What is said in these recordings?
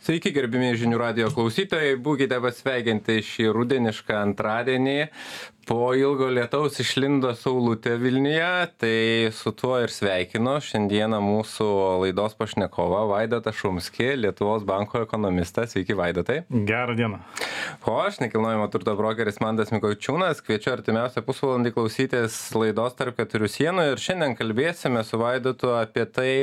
Sveiki, gerbimieji žinių radijo klausytojai, būkite pasveikinti šį rudenišką antradienį. Po ilgo lietaus išlindo saulutė Vilniuje, tai su tuo ir sveikinu. Šiandieną mūsų laidos pašnekovą Vaidotą Šumskį, Lietuvos banko ekonomistas. Sveiki, Vaidotai. Gerą dieną. O aš, nekilnojamo turto brokeris Mantas Mikočiūnas, kviečiu artimiausią pusvalandį klausytis laidos Tarp keturių sienų ir šiandien kalbėsime su Vaidotu apie tai,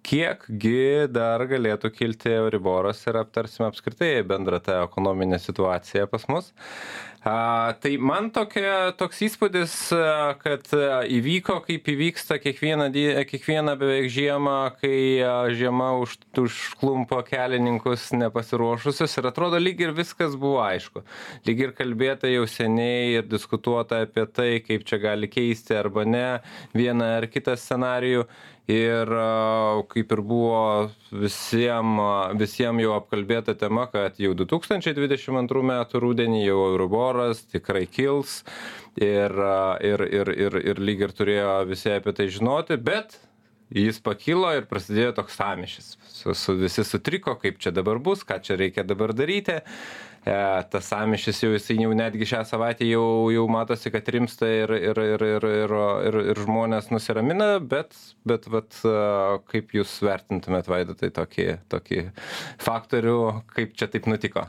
kiekgi dar galėtų kilti Euriboras ir aptarsime apskritai bendrą tą ekonominę situaciją pas mus. Tai man toks įspūdis, kad įvyko, kaip įvyksta kiekvieną beveik žiemą, kai žiema užklumpo kelininkus nepasiruošusius ir atrodo lyg ir viskas buvo aišku. Lyg ir kalbėta jau seniai ir diskutuota apie tai, kaip čia gali keisti arba ne vieną ar kitą scenarijų. Ir kaip ir buvo visiem jau apkalbėta tema, kad jau 2022 metų rudenį jau Euriboras tikrai kils ir lyg ir turėjo visi apie tai žinoti, bet jis pakilo ir prasidėjo toks sąmyšis. Visi sutriko, kaip čia dabar bus, ką čia reikia dabar daryti. Tas sąmyšis jau jisai jau netgi šią savaitę jau matosi, kad rimsta ir žmonės nusiramina, bet kaip jūs vertintumėt, Vaidotai, tokį faktorių, kaip čia taip nutiko?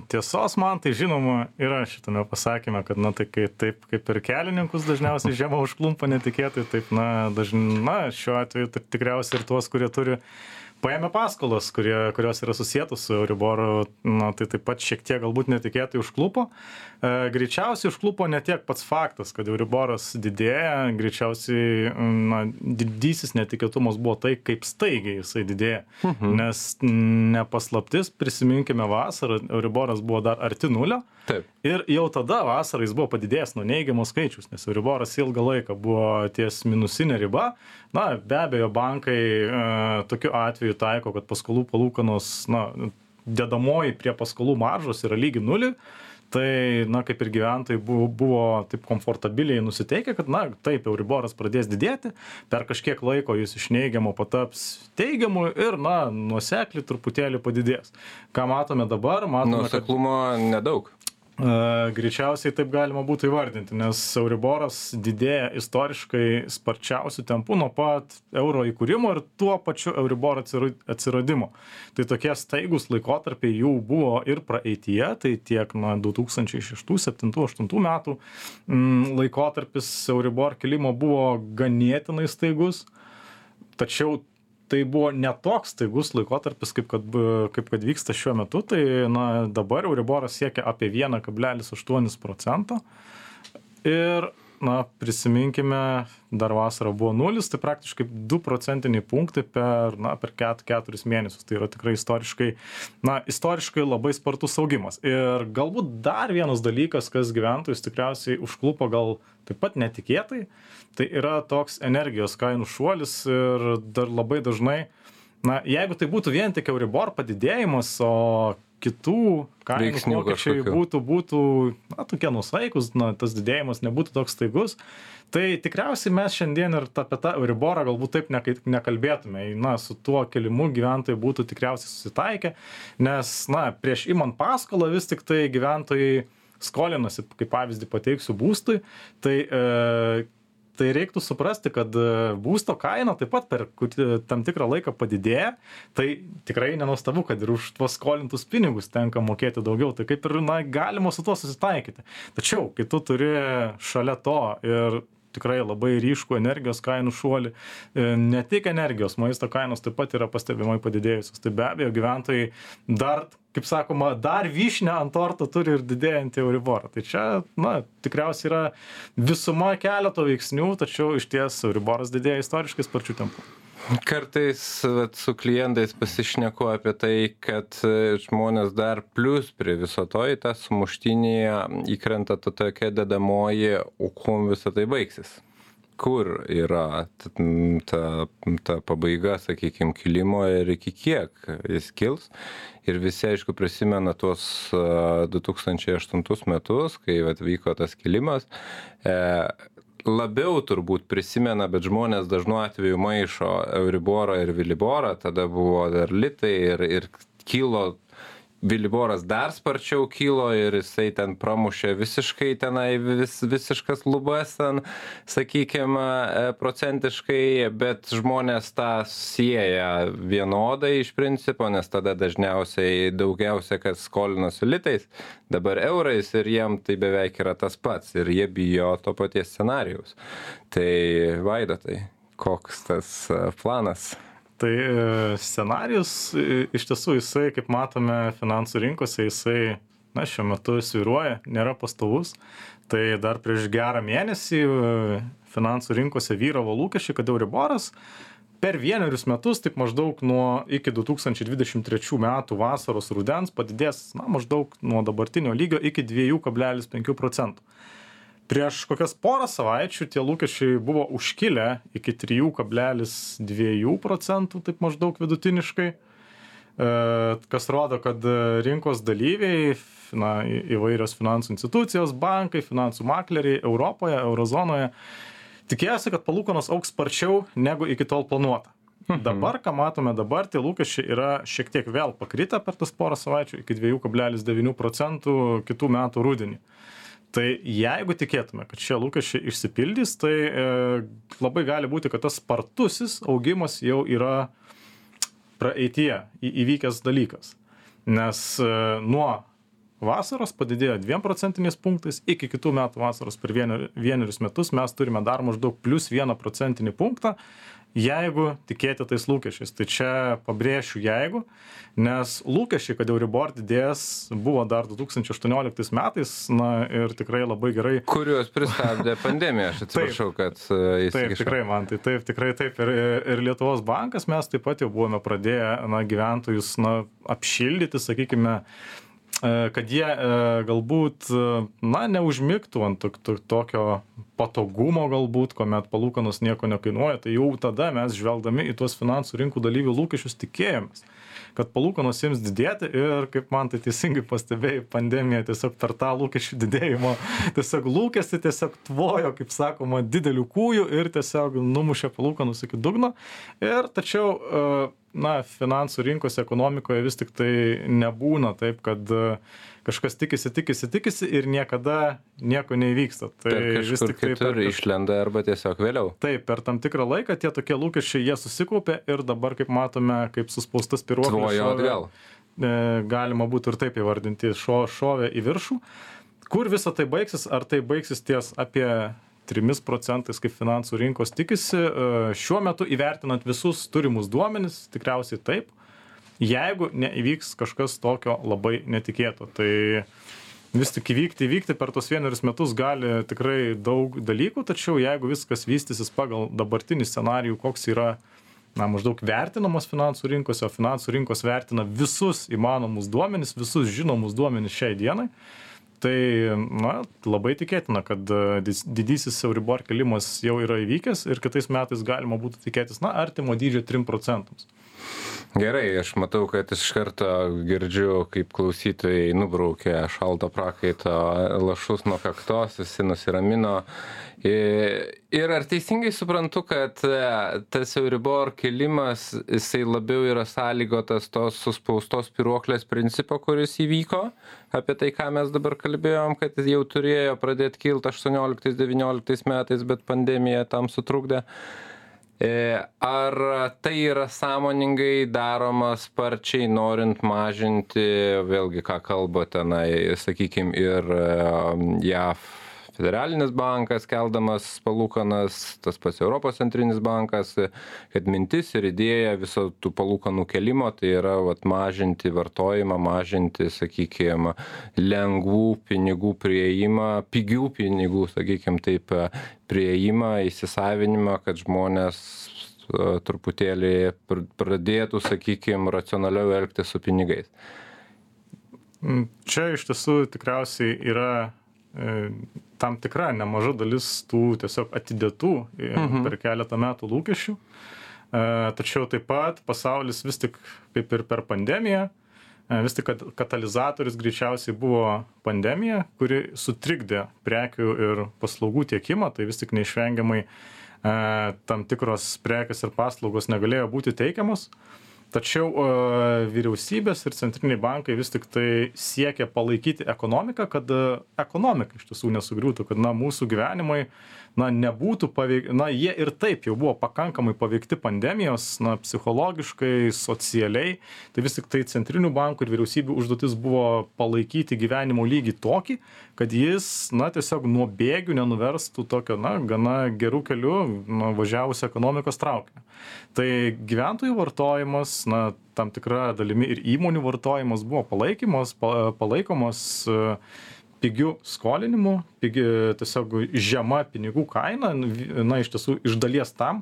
Tiesos man tai žinoma yra šitame pasakyme, kad tai taip kaip ir kelininkus dažniausiai žiema užklumpa netikėtai, taip šiuo atveju tikriausiai ir tuos, kurie turi paėmė paskolas, kurios yra susietos su Euriboru, tai taip pat šiek tiek galbūt netikėtai užklupo. Greičiausiai užklupo ne tiek pats faktas, kad Euriboras didėja, greičiausiai didysis netikėtumas buvo tai, kaip staigiai jisai didėja. Nes nepaslaptis, prisiminkime vasarą, Euriboras buvo dar arti nulio. Taip. Ir jau tada vasarą jis buvo padidėjęs nuo neigiamos skaičius, nes Euriboras ilgą laiką buvo ties minusinė riba. Be abejo, bankai tokiu atveju taiko, kad paskolų palūkanos, dedamoji prie paskolų maržos yra lygi nuliui. Tai, kaip ir gyventojai buvo taip komfortabiliai nusiteikę, kad, taip, Euriboras pradės didėti, per kažkiek laiko jis iš neigiamo pataps teigiamu ir, nuosekliai truputėlį padidės. Ką matome dabar? Nuoseklumo nedaug. Greičiausiai taip galima būtų įvardinti, nes Euriboras didėja istoriškai sparčiausių tempų nuo pat euro įkūrimo ir tuo pačiu Euriboro atsiradimo. Tai tokie staigus laikotarpiai jų buvo ir praeityje, tai tiek 2006, 2007, 2008 metų laikotarpis Euribor kilimo buvo ganėtinai staigus, tačiau tai buvo netoks staigus laikotarpis, kaip kad vyksta šiuo metu, tai dabar Euriboras siekia apie 1,8%. Ir, prisiminkime, dar vasarą buvo 0, tai praktiškai 2 procentiniai punktai per 4 mėnesius. Tai yra tikrai istoriškai labai spartus augimas. Ir galbūt dar vienas dalykas, kas gyventojus tikriausiai užklupo gal taip pat netikėtai, tai yra toks energijos kainų šuolis ir dar labai dažnai, jeigu tai būtų vien tik Euribor padidėjimas, o kitų kainų pokyčiai būtų tokie nusaikus, tas didėjimas nebūtų toks staigus, tai tikriausiai mes šiandien ir apie tą Euriborą galbūt taip nekalbėtume. Su tuo kelimu gyventojai būtų tikriausiai susitaikę, nes prieš imant paskolą vis tik tai gyventojai skolinasi, kaip pavyzdį pateiksiu, būstui, tai reiktų suprasti, kad būsto kaina taip pat per tam tikrą laiką padidėja, tai tikrai nenuostabu, kad ir už tuos skolintus pinigus tenka mokėti daugiau, tai kaip ir galima su tuo susitaikyti. Tačiau, kai tu turi šalia to ir tikrai labai ryškų energijos kainų šuolį, ne tik energijos, maisto kainos taip pat yra pastebimai padidėjusios, tai be abejo gyventojai dar, kaip sakoma, dar vyšnę ant torto turi ir didėjantį Euriborą. Tai čia, tikriausiai yra visuma keleto veiksnių, tačiau iš ties Euriboras didėja istoriškai sparčių tempų. Kartais su klientais pasišneku apie tai, kad žmonės dar plus prie viso to į tą sumuštinį įkrenta tokia dedamoji, o kuom visą tai baigsis. Kur yra ta pabaiga, sakykime, kilimo ir iki kiek jis kils. Ir visi, aišku, prisimena tuos 2008 metus, kai vyko tas kilimas. Labiau turbūt prisimena, bet žmonės dažnu atveju maišo Euriborą ir Viliborą, tada buvo dar litai ir kilo, Viliboras dar sparčiau kilo ir jisai ten pramušė visiškai tenai visiškas lubas ten, sakykime, procentiškai, bet žmonės tą sieja vienodai iš principo, nes tada dažniausiai daugiausia, kas skolinosi litais, dabar eurais ir jiem tai beveik yra tas pats ir jie bijo to paties scenarijaus. Tai Vaidotai, koks tas planas? Tai scenarijus iš tiesų jisai, kaip matome finansų rinkose, jisai šiuo metu svyruoja, nėra pastovus. Tai dar prieš gerą mėnesį finansų rinkose vyravo lūkesčiai, kad Euriboras per 1 metus, taip maždaug iki 2023 metų vasaros rudens padidės maždaug nuo dabartinio lygio iki 2,5%. Prieš kokias porą savaičių tie lūkesčiai buvo užkilę iki 3,2%, taip maždaug vidutiniškai, kas rodo, kad rinkos dalyviai, įvairios finansų institucijos, bankai, finansų makleriai Europoje, Eurozonoje tikėjosi, kad palūkanos augs sparčiau negu iki tol planuota. Dabar, ką matome dabar, tie lūkesčiai yra šiek tiek vėl pakritę per tas porą savaičių iki 2,9% kitų metų rudenį. Tai jeigu tikėtume, kad šie lūkesčiai išsipildys, tai labai gali būti, kad tas spartusis augimas jau yra praeityje įvykęs dalykas. Nes nuo vasaros padidėjo 2% punktais, iki kitų metų vasaros per 1 metus mes turime dar maždaug plus 1% punktą, jeigu tikėti tais lūkesčiais. Tai čia pabrėšiu jeigu, nes lūkesčiai, kad Euribor didės, buvo dar 2018 metais, ir tikrai labai gerai. Kuriuos pristabdė pandemija, aš atsiprašau, kad įsikišau. Taip, tikrai man, tai taip, tikrai taip. Ir Lietuvos bankas mes taip pat jau buvome pradėję gyventojus apšildyti, sakykime, kad jie galbūt neužmigtų ant tokio patogumo galbūt, kuomet palūkanos nieko nekainuoja, tai jau tada mes žvelgdami į tuos finansų rinkų dalyvių lūkesčius tikėjomės, kad palūkanos jiems didėti ir, kaip man tai teisingai pastebėjai, pandemija tiesiog per tą lūkesčių didėjimo tiesiog lūkestį tiesiog tvojo, kaip sakoma, didelių kūjų ir tiesiog numušė palūkanus iki dugno. Ir tačiau finansų rinkos ekonomikoje vis tik tai nebūna taip, kad kažkas tikisi ir niekada nieko neįvyksta. Tai vis tik tai kitur išlenda arba tiesiog vėliau. Taip, per tam tikrą laiką tie tokie lūkesčiai jie susikaupė ir dabar, kaip matome, kaip suspaustas spyruoklis šovė, galima būtų ir taip įvardinti, šovė į viršų. Kur visa tai baigsis? Ar tai baigsis ties apie 3%, kaip finansų rinkos tikisi, šiuo metu įvertinant visus turimus duomenis, tikriausiai taip, jeigu neįvyks kažkas tokio labai netikėto. Tai vis tik įvykti per tos 1 metus gali tikrai daug dalykų, tačiau jeigu viskas vystysis pagal dabartinį scenarijų, koks yra maždaug vertinamos finansų rinkose, o finansų rinkos vertina visus įmanomus duomenis, visus žinomus duomenis šiai dienai, tai labai tikėtina, kad didysis Euribor kilimas jau yra įvykęs ir kitais metais galima būtų tikėtis artimo dydžio 3%. Gerai, aš matau, kad iš karto girdžiu, kaip klausytojai nubraukė šalto prakaito lašus nuo kaktos, visi nusiramino. Ir ar teisingai suprantu, kad tas Euribor kilimas, jisai labiau yra sąlygotas tos suspaustos spyruoklės principo, kuris įvyko, apie tai, ką mes dabar kalbėjom, kad jau turėjo pradėti kilti 18-19 metais, bet pandemija tam sutrukdė. Ar tai yra sąmoningai daroma sparčiai, norint mažinti, vėlgi, ką kalba tenai, sakykime, ir JAV federalinis bankas keldamas palūkanas, tas pats Europos centrinis bankas, kad mintis ir idėja viso tų palūkanų kelimo tai yra mažinti vartojimą, mažinti, sakykime, lengvų pinigų prieimą, pigių pinigų, sakykime, taip, prieimą, įsisavinimą, kad žmonės truputėlį pradėtų, sakykime, racionaliau elgtis su pinigais. Čia iš tiesų tikriausiai yra tam tikra nemaža dalis tų tiesiog atidėtų per keletą metų lūkesčių. Tačiau taip pat pasaulis vis tik, kaip ir per pandemiją, vis tik katalizatorius greičiausiai buvo pandemija, kuri sutrikdė prekių ir paslaugų tiekimą, tai vis tik neišvengiamai tam tikros prekės ir paslaugos negalėjo būti teikiamos. Tačiau vyriausybės ir centriniai bankai vis tik tai siekia palaikyti ekonomiką, kad ekonomika iš tiesų nesugriūtų, kad mūsų gyvenimai nebūtų jie ir taip jau buvo pakankamai paveikti pandemijos, psichologiškai, socialiai. Tai vis tik tai centrinių bankų ir vyriausybių užduotis buvo palaikyti gyvenimo lygį tokį, kad jis tiesiog nuo bėgių nenuverstų tokio gana gerų kelių važiavusią ekonomikos traukinį. Tai gyventojų vartojimas, tam tikra dalimi ir įmonių vartojimas buvo palaikomos pigių skolinimų, tiesiog žema pinigų kaina, iš tiesų iš dalies tam,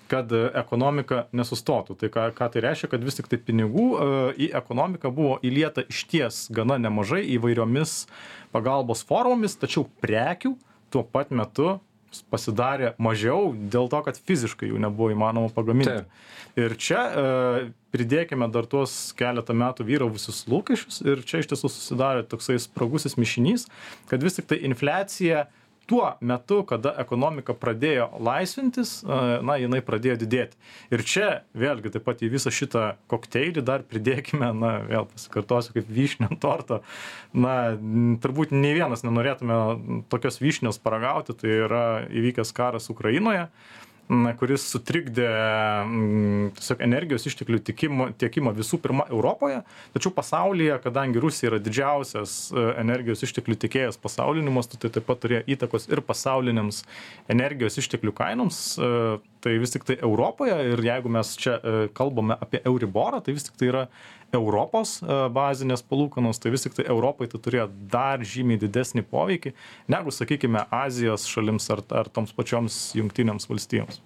kad ekonomika nesustotų. Tai ką tai reiškia, kad vis tik tai pinigų į ekonomiką buvo įlieta išties gana nemažai įvairiomis pagalbos formomis, tačiau prekių tuo pat metu pasidarė mažiau dėl to, kad fiziškai jų nebuvo įmanoma pagaminti. Ir čia pridėkime dar tuos keletą metų vyravusius lūkesčius ir čia iš tiesų susidarė toksai spragusis mišinys, kad vis tik tai infliacija tuo metu, kada ekonomika pradėjo laisvintis, jinai pradėjo didėti. Ir čia vėlgi taip pat į visą šitą kokteilį dar pridėkime, vėl pasikartosiu kaip vyšnių ant torto, turbūt nei vienas nenorėtume tokios vyšnios paragauti, tai yra įvykęs karas Ukrainoje, kuris sutrikdė tiesiog energijos išteklių tiekimą visų pirma Europoje, tačiau pasaulyje, kadangi Rusija yra didžiausias energijos išteklių tiekėjas pasauliniu mastu, tai taip pat turėjo įtakos ir pasauliniams energijos išteklių kainoms. Tai vis tik tai Europoje, ir jeigu mes čia kalbame apie Euriborą, tai vis tik tai yra Europos bazinės palūkanos, tai vis tik tai Europai tai turėjo dar žymiai didesnį poveikį, negu, sakykime, Azijos šalims ar toms pačioms Jungtinėms valstijoms.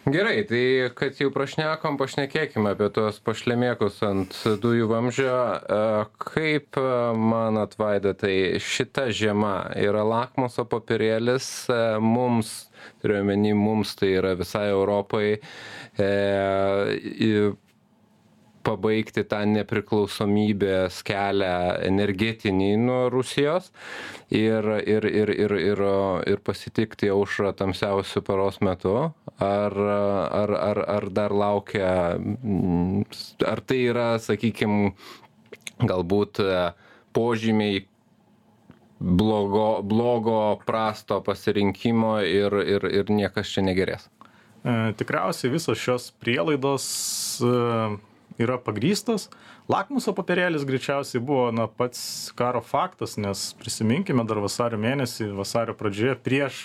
Gerai, tai kad jau pašnekėkime apie tuos pašlemėkus ant dujų vamzdžio. Kaip manot, Vaida, tai šita žiema yra lakmuso popierėlis mums, turiu omeny mums, tai yra visai Europai, pabaigti tą nepriklausomybės kelią energetinį nuo Rusijos ir pasitikti aušrą tamsiausiu paros metu, ar dar laukia, ar tai yra, sakykime, galbūt požymiai blogo prasto pasirinkimo ir niekas čia negerės? Tikriausiai visos šios prielaidos yra pagrįstos. Lakmuso popierėlis greičiausiai buvo pats karo faktas, nes prisiminkime dar vasario mėnesį, vasario pradžioje, prieš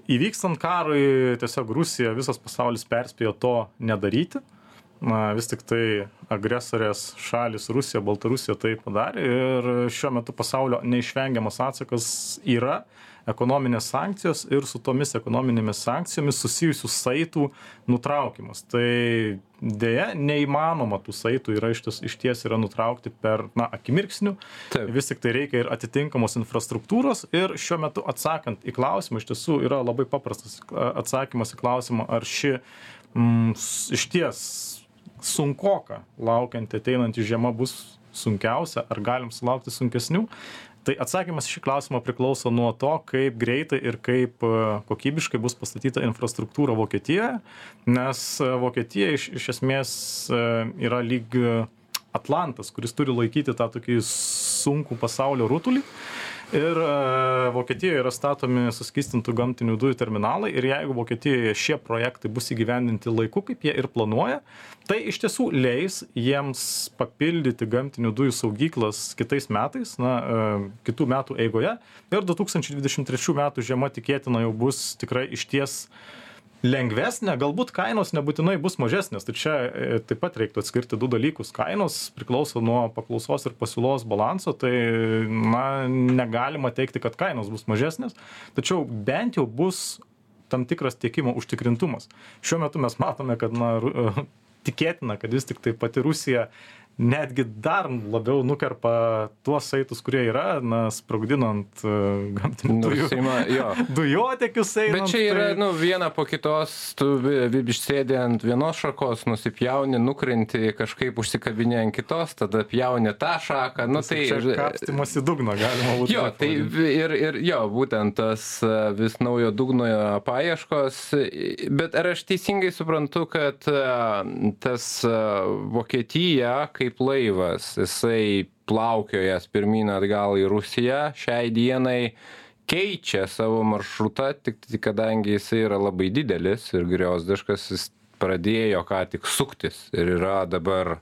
įvykstant karui, tiesiog Rusija, visas pasaulis perspėjo to nedaryti. Vis tik tai agresorės šalis Rusija, Baltarusija tai padarė ir šiuo metu pasaulio neišvengiamas atsakas yra ekonominės sankcijos ir su tomis ekonominėmis sankcijomis susijusių saitų nutraukimas. Tai dėja neįmanoma tų saitų yra išties yra nutraukti per akimirksnių. Taip. Vis tik tai reikia ir atitinkamos infrastruktūros ir šiuo metu atsakant į klausimą, iš tiesų yra labai paprastas atsakymas į klausimą, ar ši išties sunkoka laukianti ateinanti žiema bus sunkiausia, ar galim sulaukti sunkesnių. Tai atsakymas šį klausimą priklauso nuo to, kaip greitai ir kaip kokybiškai bus pastatyta infrastruktūra Vokietijoje, nes Vokietija iš esmės yra lyg Atlantas, kuris turi laikyti tą tokį sunkų pasaulio rutulį. Ir Vokietijoje yra statomi suskystintų gamtinių dujų terminalai ir jeigu Vokietijoje šie projektai bus įgyvendinti laiku, kaip jie ir planuoja, tai iš tiesų leis jiems papildyti gamtinių dujų saugyklas kitais metais, kitų metų eigoje. Ir 2023 metų žiema tikėtina jau bus tikrai išties lengvesnė, galbūt kainos nebūtinai bus mažesnės. Tai čia taip pat reiktų atskirti du dalykus. Kainos priklauso nuo paklausos ir pasiūlos balanso, tai negalima teikti, kad kainos bus mažesnės, tačiau bent jau bus tam tikras tiekimo užtikrintumas. Šiuo metu mes matome, kad tikėtina, kad vis tik tai pati Rusija netgi dar labiau nukerpa tuos saitus, kurie yra, sprogdinant gamtinių dujotekius einant. Bet čia yra, viena po kitos, tu išsėdė ant vienos šakos, nusipjauni, nukrenti, kažkaip užsikabinė ant kitos, tada pjauni tą šaką. Čia kapstymas į dugną galima būtų. Būtent tas vis naujo dugno paieškos. Bet ar aš teisingai suprantu, kad tas Vokietija kaip laivas, jisai plaukiojas pirmyn atgal į Rusiją, šiai dienai keičia savo maršrutą, tik kadangi jisai yra labai didelis ir griozdiškas, jis pradėjo ką tik suktis ir yra dabar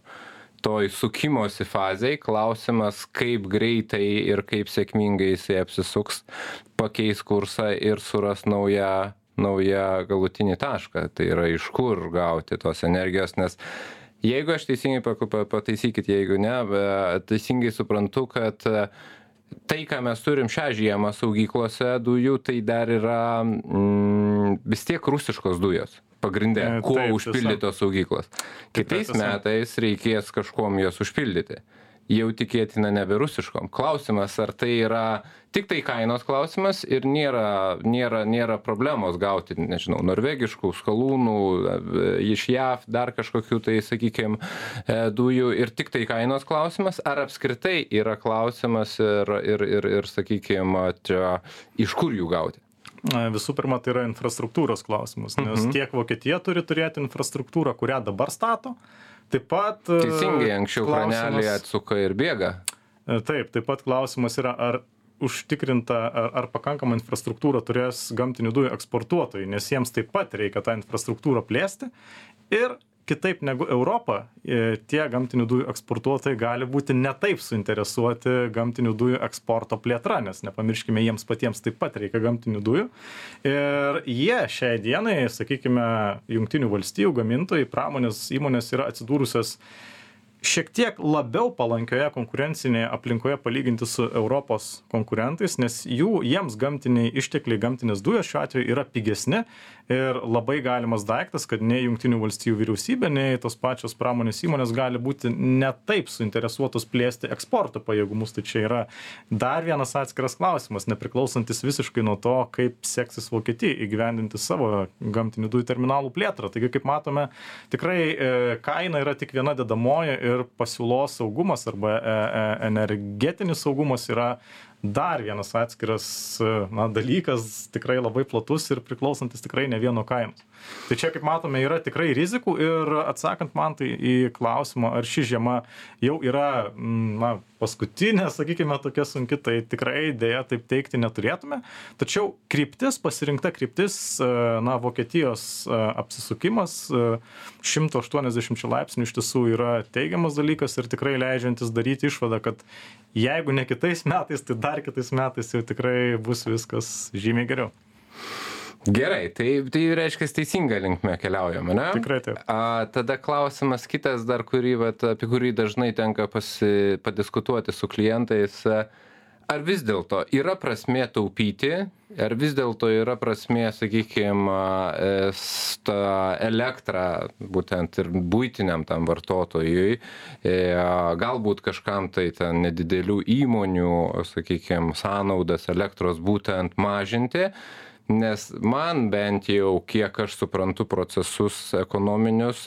toj sukimosi fazėj. Klausimas, kaip greitai ir kaip sėkmingai jisai apsisuks, pakeis kursą ir suras naują galutinį tašką. Tai yra iš kur gauti tos energijos, nes jeigu aš teisingai, pataisykit, jeigu ne, teisingai suprantu, kad tai, ką mes turim šią žiemą saugyklose dujų, tai dar yra vis tiek rusiškos dujos. Pagrindė, kuo užpildytos saugyklos. Kitais metais reikės kažkuom jos užpildyti. Jau tikėtina nebe rusiškom. Klausimas, ar tai yra tik tai kainos klausimas ir nėra problemos gauti, nežinau, norvegiškų skalūnų, iš JAV, dar kažkokių tai, sakykime, dujų ir tik tai kainos klausimas, ar apskritai yra klausimas ir sakykime, iš kur jų gauti? Visų pirma, tai yra infrastruktūros klausimas, nes tiek Vokietija turi turėti infrastruktūrą, kurią dabar stato. Taip pat... Teisingai, anksčiau kranelį atsuka ir bėga. Taip pat klausimas yra, ar užtikrinta, ar pakankama infrastruktūra turės gamtinių dujų eksportuotojai, nes jiems taip pat reikia tą infrastruktūrą plėsti. Ir kitaip negu Europa, tie gamtinių dujų eksportuotojai gali būti netaip suinteresuoti gamtinių dujų eksporto plėtra, nes nepamirškime, jiems patiems taip pat reikia gamtinių dujų. Ir jie šiai dienai, sakykime, Jungtinių valstijų gamintojai, pramonės įmonės yra atsidūrusios šiek tiek labiau palankioje konkurencinėje aplinkoje palyginti su Europos konkurentais, nes jiems gamtiniai ištekliai, gamtinės dujos šiuo atveju yra pigesni ir labai galimas daiktas, kad nei Jungtinių valstijų vyriausybė, nei tos pačios pramonės įmonės gali būti netaip suinteresuotos plėsti eksporto pajėgumus. Tai čia yra dar vienas atskiras klausimas, nepriklausantis visiškai nuo to, kaip seksis Vokietijai įgyvendinti savo gamtinių dujų terminalų plėtrą. Taigi, kaip matome, tikrai kaina yra tik viena dedamoji ir pasiūlos saugumas arba energetinis saugumas yra dar vienas atskiras dalykas, tikrai labai platus ir priklausantis tikrai ne vieno kainos. Tai čia, kaip matome, yra tikrai rizikų ir atsakant man tai į klausimą, ar ši žiema jau yra paskutinė, sakykime, tokia sunki, tai tikrai dėja taip teikti neturėtume. Tačiau pasirinkta kryptis, Vokietijos apsisukimas 180 laipsnių iš tiesų yra teigiamas dalykas ir tikrai leidžiantis daryti išvadą, kad jeigu ne kitais metais, tai dar kitais metais jau tikrai bus viskas žymiai geriau. Gerai, tai reiškia teisinga linkme keliaujame, ne? Tikrai taip. Tada klausimas kitas dar, apie kurį dažnai tenka padiskutuoti su klientais. Ar vis dėlto yra prasmė taupyti, ar vis dėlto yra prasmė, sakykime, elektrą būtent ir buitiniam tam vartotojui, galbūt kažkam tai ten nedidelių įmonių, sakykime, sąnaudas elektros būtent mažinti, nes man bent jau, kiek aš suprantu procesus ekonominius,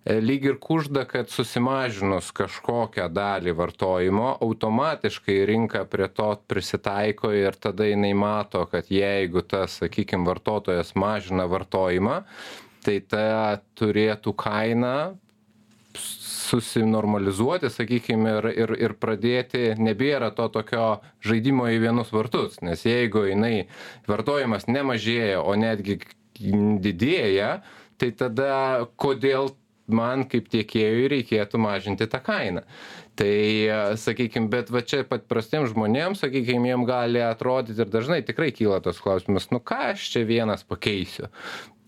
lyg ir kužda, kad susimažinus kažkokią dalį vartojimo, automatiškai rinka prie to prisitaiko ir tada jinai mato, kad jeigu tas, sakykime, vartotojas mažina vartojimą, tai ta turėtų kaina susinormalizuoti, sakykime, ir pradėti, nebėra to tokio žaidimo į vienus vartus, nes jeigu jinai vartojimas nemažėja, o netgi didėja, tai tada kodėl man kaip tiekėjui reikėtų mažinti tą kainą. Tai, sakykime, bet va čia pat prastiems žmonėms, sakykime, jiem gali atrodyti ir dažnai tikrai kyla tos klausimas, ką aš čia vienas pakeisiu.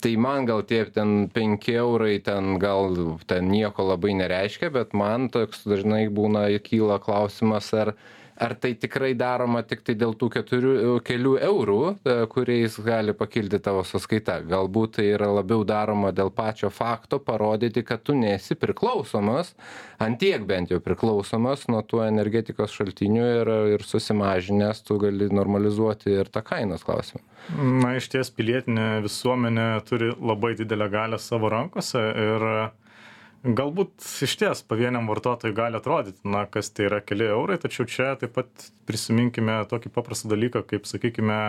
Tai man gal tie ten 5 eurai ten gal ten nieko labai nereiškia, bet man toks dažnai kyla klausimas, ar ar tai tikrai daroma tik tai dėl tų kelių eurų, kuriais gali pakilti tavo sąskaita. Galbūt tai yra labiau daroma dėl pačio fakto parodyti, kad tu nesi priklausomas, antiek bent jau priklausomas nuo tų energetikos šaltinių ir susimažinęs tu gali normalizuoti ir tą kainos klausimą. Na, iš ties pilietinė visuomenė turi labai didelę galią savo rankose ir galbūt iš ties pavieniam vartotojui gali atrodyti, na, kas tai yra keli eurai, tačiau čia taip pat prisiminkime tokį paprastą dalyką, kaip, sakykime,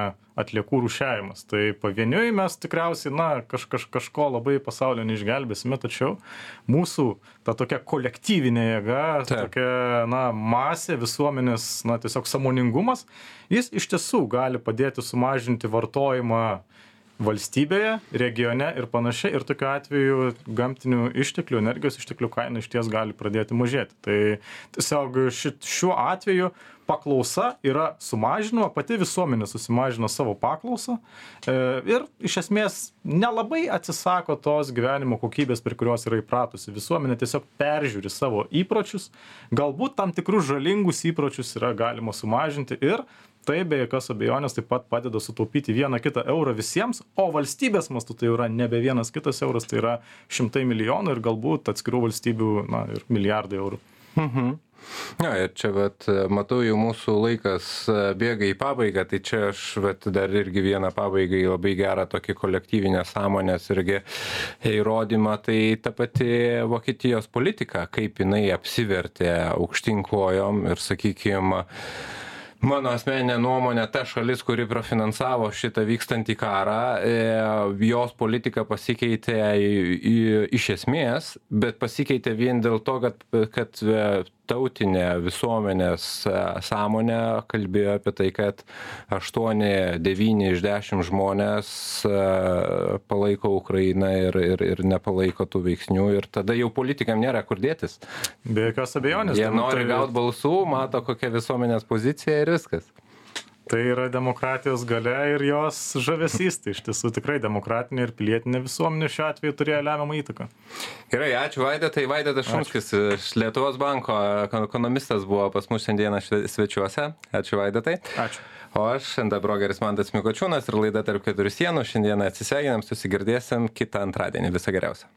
atliekų rūšiavimas. Tai pavieniui mes tikriausiai, na, kažko labai pasaulio neišgelbėsime, tačiau mūsų ta tokia kolektyvinė jėga, tokia, na, masė, visuomenės, na, tiesiog sąmoningumas, jis iš tiesų gali padėti sumažinti vartojimą valstybėje, regione ir panašiai, ir tokiu atveju gamtinių išteklių, energijos išteklių kaina iš ties gali pradėti mažėti. Tai tiesiog šiuo atveju paklausa yra sumažinama, pati visuomenė susimažino savo paklausą ir iš esmės nelabai atsisako tos gyvenimo kokybės, prie kurios yra įpratusi. Visuomenė tiesiog peržiūri savo įpročius, galbūt tam tikrus žalingus įpročius yra galima sumažinti ir tai be jokios abejonės taip pat padeda sutaupyti vieną kitą eurą visiems, o valstybės mastu tai yra nebe vienas kitas euras, tai yra šimtai milijonų ir galbūt atskirų valstybių, na, ir milijardai eurų. Na, ir čia, matau, jau mūsų laikas bėga į pabaigą, tai čia aš dar irgi vieną pabaigą į labai gerą tokį kolektyvinę sąmonės irgi įrodymą, tai ta pati Vokietijos politika, kaip jinai apsivertė aukštyn kojom ir, sakykime, mano asmeninė nuomonė, ta šalis, kuri profinansavo šitą vykstantį karą, jos politika pasikeitė iš esmės, bet pasikeitė vien dėl to, kad tautinė visuomenės sąmonė kalbėjo apie tai, kad 8-9 iš 10 žmonės palaiko Ukrainą ir nepalaiko tų veiksnių ir tada jau politikam nėra kur dėtis. Be jokios abejonės. Jie nori gauti balsų, mato kokia visuomenės pozicija ir viskas. Tai yra demokratijos galia ir jos žavesys. Tai iš tiesų tikrai demokratinė ir pilietinė visuomenė šiuo atveju turėjo lemiamą įtaką. Gerai, ačiū Vaidotai. Vaidotas Šumskis iš Lietuvos banko ekonomistas buvo pas mus šiandieną svečiuose. Ačiū Vaidotai. Ačiū. O aš, ND brokeris Mantas Mikočiūnas ir laida Tarp keturių sienų. Šiandieną atsisveikinam, susigirdėsim kitą antradienį. Viso geriausio.